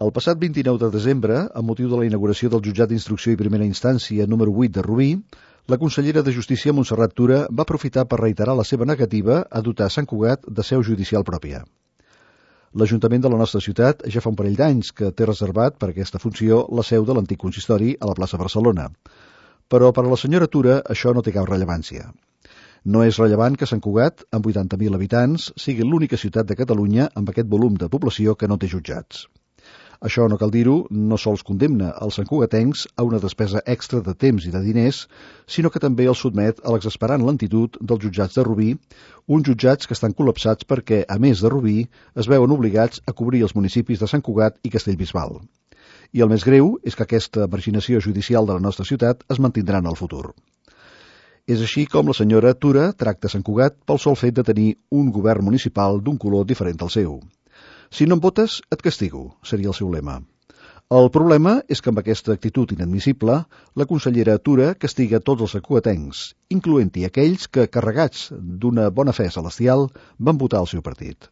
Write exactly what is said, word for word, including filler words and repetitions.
El passat vint-i-nou de desembre, amb motiu de la inauguració del Jutjat d'Instrucció i Primera Instància número vuit de Rubí, la consellera de Justícia Montserrat Tura va aprofitar per reiterar la seva negativa a dotar Sant Cugat de seu judicial pròpia. L'Ajuntament de la nostra ciutat ja fa un parell d'anys que té reservat per aquesta funció la seu de l'antic consistori a la plaça Barcelona. Però per a la senyora Tura això no té cap rellevància. No és rellevant que Sant Cugat, amb vuitanta mil habitants, sigui l'única ciutat de Catalunya amb aquest volum de població que no té jutjats. Això, no cal dir-ho, no sols condemna els santcugatencs a una despesa extra de temps i de diners, sinó que també els sotmet a l'exasperant lentitud dels jutjats de Rubí, uns jutjats que estan col·lapsats perquè, a més de Rubí, es veuen obligats a cobrir els municipis de Sant Cugat i Castellbisbal. I el més greu és que aquesta marginació judicial de la nostra ciutat es mantindrà en el futur. És així com la senyora Tura tracta Sant Cugat pel sol fet de tenir un govern municipal d'un color diferent al seu. Si no em votes, et castigo, seria el seu lema. El problema és que amb aquesta actitud inadmissible, la consellera Tura castiga tots els santcugatencs, incloent-hi aquells que, carregats d'una bona fe celestial, van votar el seu partit.